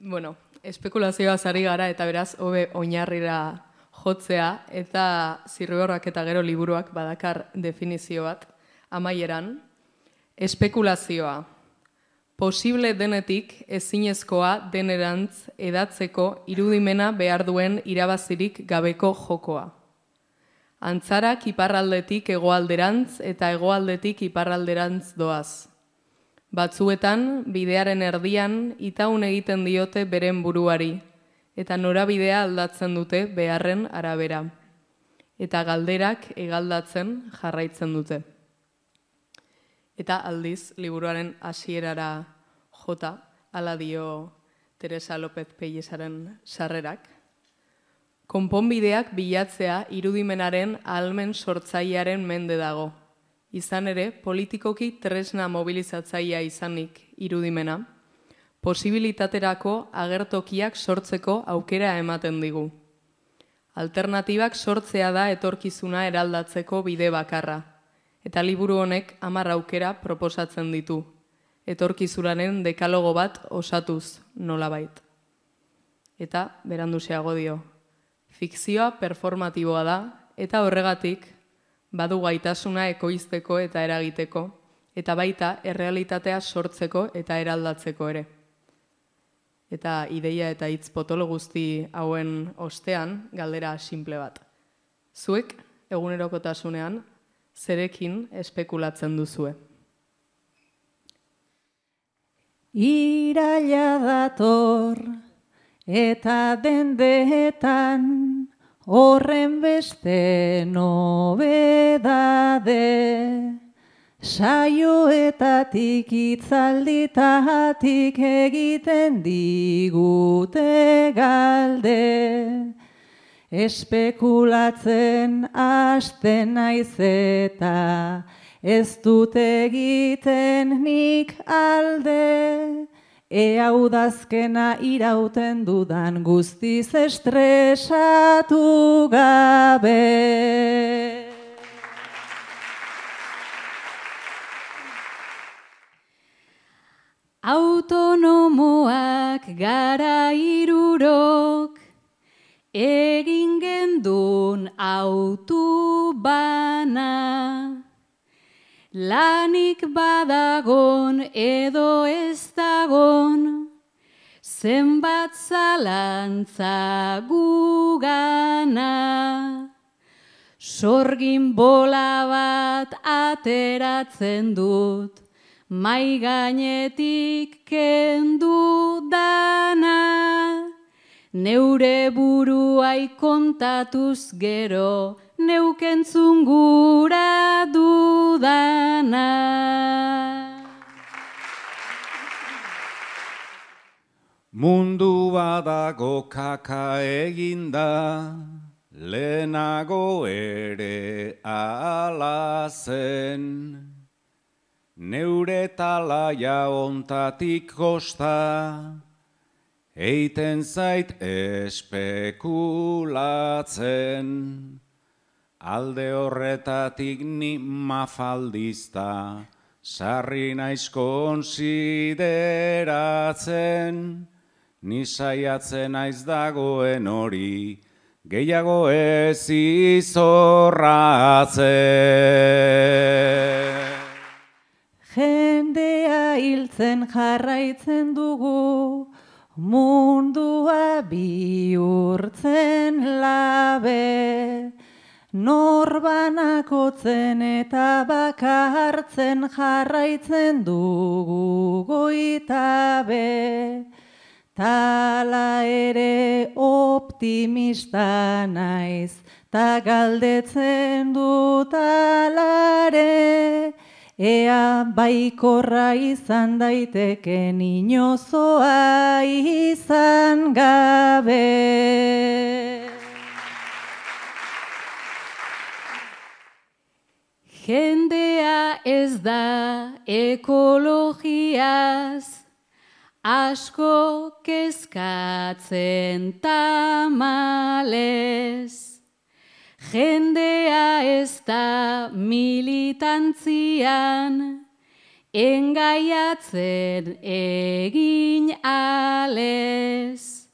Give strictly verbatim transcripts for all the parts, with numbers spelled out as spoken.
Bueno, espekulazioa ari gara eta beraz hobe oinarrira jotzea eta Zirriborroak eta gero liburuak badakar definizio bat amaieran. Espekulazioa. Posible denetik ezinezkoa denerantz edatzeko irudimena behar duen irabazirik gabeko jokoa. Antzarak iparraldetik hegoalderantz eta hegoaldetik iparralderantz doaz. Batzuetan, bidearen erdian itaun egiten diote beren buruari, eta norabidea aldatzen dute beharren arabera. Eta galderak egaldatzen jarraitzen dute. Eta aldiz, liburuaren hasierara jota, hala dio Teresa López Pellesaren sarrerak. Konponbideak bilatzea irudimenaren ahalmen sortzailearen mende dago. Izan ere, politikoki tresna mobilizatzailea izanik irudimena, posibilitaterako agertokiak sortzeko aukera ematen digu. Alternatibak sortzea da etorkizuna eraldatzeko bide bakarra, eta liburu honek hamar aukera proposatzen ditu, etorkizunaren dekalogo bat osatuz nolabait. Eta, beranduxeago dio, fikzioa performatiboa da, eta horregatik, badu gaitasuna ekoizteko eta eragiteko, eta baita errealitatea sortzeko eta eraldatzeko ere. Eta ideia eta hitz potolo guzti hauen ostean, galdera simple bat. Zuek, egunerokotasunean, zerekin espekulatzen duzue? Iraila dator, eta dendeetan, horren beste nobedade, saioetatik itzalditatik egiten digute galde, espekulatzen hasten naiz eta ez dut egiten nik alde, ea udazkena irauten dudan guztiz estresatu gabe. Autonomoak gara hirurok, egin gendun autu bana, lanik badagon edo ez dagon, zenbat zalantza gugana. Sorgin bola bat ateratzen dut, mai gainetik kendu dana. Neure buruai kontatuz gero, neukentzun gura dudana. Mundu badago kaka eginda, lehenago ere ala zen. Neure talaia ontatik kosta, eiten zait espekulatzen. Alde horretatik ni mafaldizta, sarri naiz konsideratzen. Ni saiatzen naiz dagoen hori, gehiago ez izorratzen. Jendea hiltzen jarraitzen dugu, mundua bihurtzen labe. Norbanakotzen eta bakartzen jarraitzen dugu goitabe. Tala ere optimista naiz, ta galdetzen dut alare. Ea baikorra izan daiteken inozoa izan gabe. Jendea ez da ekologiaz, asko kezkatzen tamalez. Jendea ez da militantzian, engaiatzen egin alez.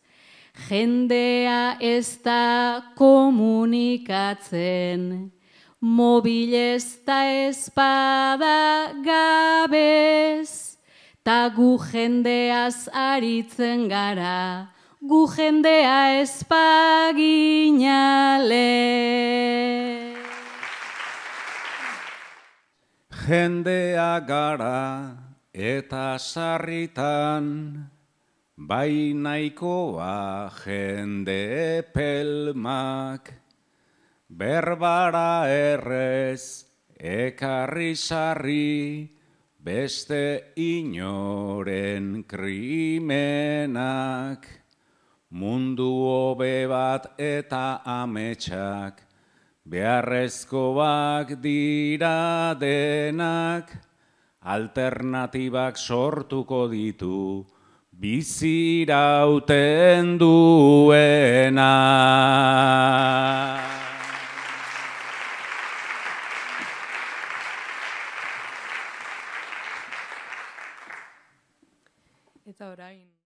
Jendea ez da komunikatzen, mobilez ta espada gabez, ta gu jendeaz aritzen gara, gu jendea espaginale. Jendea gara eta sarritan, bai nahikoa jende pelmak, berbara errez ekarri sarri, beste inoren krimenak, mundu hobe bat eta ametsak, beharrezkoak dira denak, alternatibak sortuko ditu, bizirauten duena. Eta orain